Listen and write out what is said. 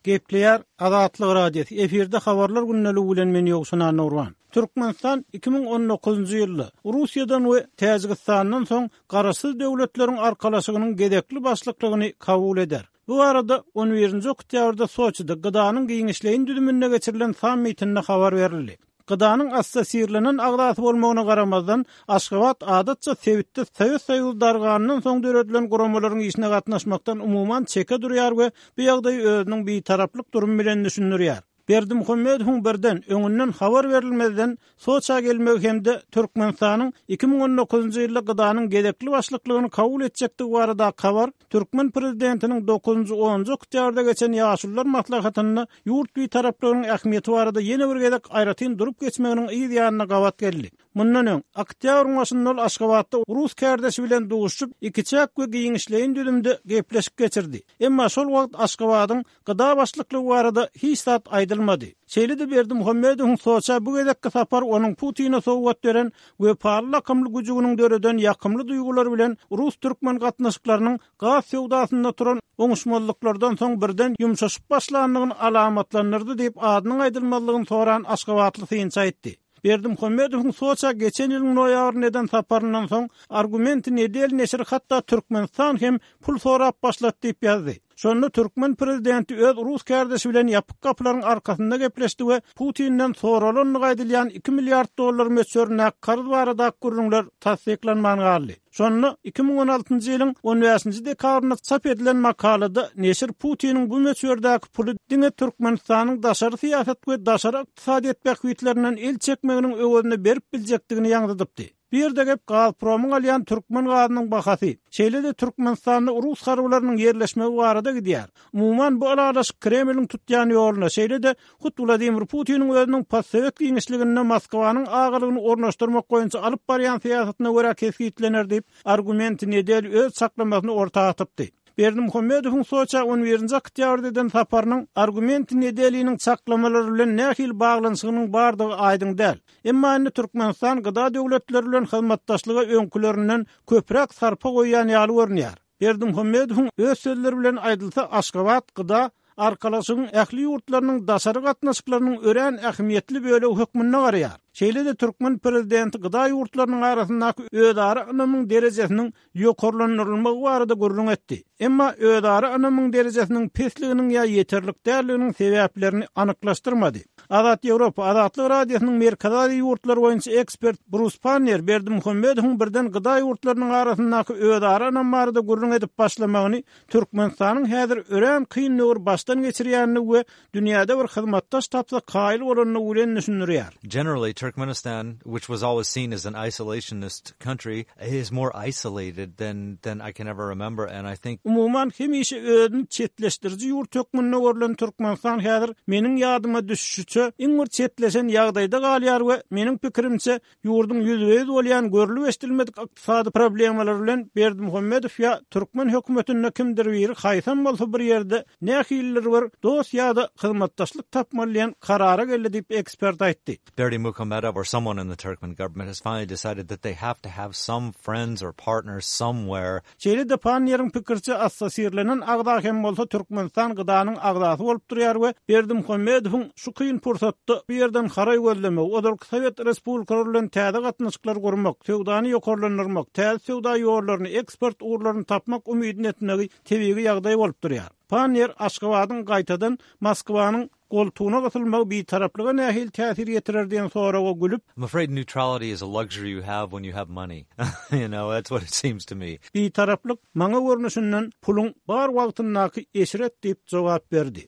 Gepleýär Azatlyk Radiosy, efirde Habarlar gündeligi bilen men Ýowşan Annagurban. Türkmenistan 2019-njy ýylda Russiýadan we Täjigistandan soň Garaşsyz Döwletleriň Arkalaşygynyň gezekli başlyklygyny kabul eder. Bu barada on birinji oktýabrda Soçide GDA-nyň giňişleýin düzüminde geçirilen sammitinde habar berildi. GDA-nyň assosirlenen agzasy bolmagyna garamazdan, Aşgabat adatça sebitde Sowet Soýuzy darganyndan soň döredilen guramalaryň işine gatnaşmakdan umuman çeke durýar we bu ýagdaýy özüniň bitaraplyk durumy bilen düşündirýär. Berdimuhamedowyň birden, öňünden habar berilmezden Soça gelmegi hem-de Türkmenistanyň 2019-njy ýylda GDA-nyň gezekli başlyklygyny kabul etjekdigi baradaky habar türkmen prezidentiniň dokuzynjy, onunjy oktýabrda geçen Ýaşulular maslahatynda ýurt bitaraplygynyň ähmiýeti barada ýene bir gezek aýratyn durup geçmeginiň yz ýanyna gabat geldi. Mundan öň, oktýabryň başynda ol Aşgabatda rus kärdeşi bilen duşuşyp, ikiçäk we giňişleýin düzümde gepleşik geçirdi. Emma şol wagt Aşgabadyň GDA başlyklygy barada hiç zat aýdylmady. Şeýle-de Berdimuhamedowyň Soça bu gezekki sapary onuň Putine sowgat beren Wepaly lakymly güjüginiň döreden ýakymly duýgulary bilen rus-türkmen gatnaşyklarynyň gaz söwdasynda turan oňuşmazlyklardan soň birden ýumşaşyp başlandygyny alamatlandyrdy diýip, adynyň aýdylmazlygyny soran aşgabatly synçy aýtdy. Berdimuhamedowyň Soça geçen ýylyň noýabrynda eden saparyndan soň Argumenty nedeli neşiri hatda Türkmenistan hem pul sorap başlady diýip ýazdy. Şonda türkmen prezidenti öz rus kärdeşi bilen ýapyk gapylaryň arkasynda gepleşdi we Putinden soralandygy aýdylýan iki milliard dollar möçberindäki karz baradaky gürrüňler tassyklanman galdy. Şonda 2016-njy ýylyň on bäşinji dekabrynda çap edilen makalada neşir Putiniň bu möçberdäki puly diňe Türkmenistanyň daşary syýasat we daşary ykdysadyýet bähbitlerinden el çekmeginiň öwezine berip biljekdigini ýaňzydypdy. Bu ýerde gep Gazpromyň alýan türkmen gazynyň bahasy, şeýle-de Türkmenistanda rus harbylarynyň ýerleşmegi barada gidýär. Umuman, bu ylalaşyk Kremliň tutýan ýoluna, şeýle-de hut Wladimir Putiniň özüniň postsowet giňişliginde Moskwanyň agalygyny ornaşdyrmak boýunça alyp barýan syýasatyna görä kesgitlener diýip, Argumenty nedeli öz çaklamasyny orta atypdy. Berdimuhamedowyň Soça on birinji oktýabrda eden saparynyň Argumenty nedeliniň çaklamalary bilen nähili baglanyşygynyň bardygy aýdyň däl. Emma indi Türkmenistan GDA döwletleri bilen hyzmatdaşlyga öňkülerinden köpräk sarpa goýýan ýaly görünýär. Berdimuhamedowyň öz sözleri bilen aýdylsa, Aşgabat GDA Arkalaşygyň ähli ýurtlarynyň daşary gatnaşyklarynyň örän ähmiýetli bölegi hökmünde garaýar. Şeýle-de türkmen prezidenti GDA ýurtlarynyň arasyndaky özara ynamyň derejesiniň ýokarlandyrylmagy barada gürrüň etdi. Emma özara ynamyň derejesiniň pesliginiň ýa ýeterlik däldiginiň sebäplerini anyklaşdyrmady. Azat Ýewropa, Azatlyk Radiosynyň Merkezi Aziýa ýurtlary boýunça ekspert Brus Panniýer Berdimuhamedowyň birden GDA ýurtlarynyň arasyndaky özara ynam barada gürrüň edip başlamagyny Türkmenistanyň häzir örän kyn döwür başdan geçirýänini we dünýäde bir hyzmatdaş tapsa kaýyl bolandygy bilen düşündirýär. Generally, Turkmenistan, which was always seen as an isolationist country, is more isolated than than I can ever remember and I think. Umuman, hemişe özüni çetleşdiriji ýurt hökmünde görlen Türkmenistan häzir meniň ýadyma düşüşiçe iň bir çetleşen ýagdaýda galýar we meniň pikirimçe Ýurduň ýüzbe-ýüz bolýan görlüp-eşidilmedik ykdysady problemalary bilen Berdimuhamedow ýa türkmen hökümetinde kimdir biri haýsam bolsa bir ýerde nähilidir bir dost ýa-da hyzmatdaşlyk tapmaly diýen karara geldi diýip, ekspert aýtdy. Berdimuhamedow or someone in the Turkmen government has finally decided that they have to have some friends or partners somewhere Şeýle-de Panniýeriň pikiriçe, assosirlenen agza hem bolsa Türkmenistan GDA-nyň agzasy bolup durýar we Berdimuhamedowyň şu kyn pursatda bu ýerden haraý gözlemegi, ozalky sowet respublikalary bilen täze gatnaşyklary gurmak, söwdany ýokarlandyrmak, täze söwda ýollaryny, eksport ugurlaryny tapmak umydyny etmegi tebigy ýagdaý bolup durýar. Panniýer Aşgabadyň gaýtadan Moskwanyň Goltugyna gysylmagy bitaraplyga nähili täsir ýetirer diýen soraga gülüp. I'm afraid neutrality is a luxury you have when you have money. You know, that's what it seems to me. Bitaraplyk maňa görnüşinden puluň bar wagtyndaky eşret diýip jogap berdi.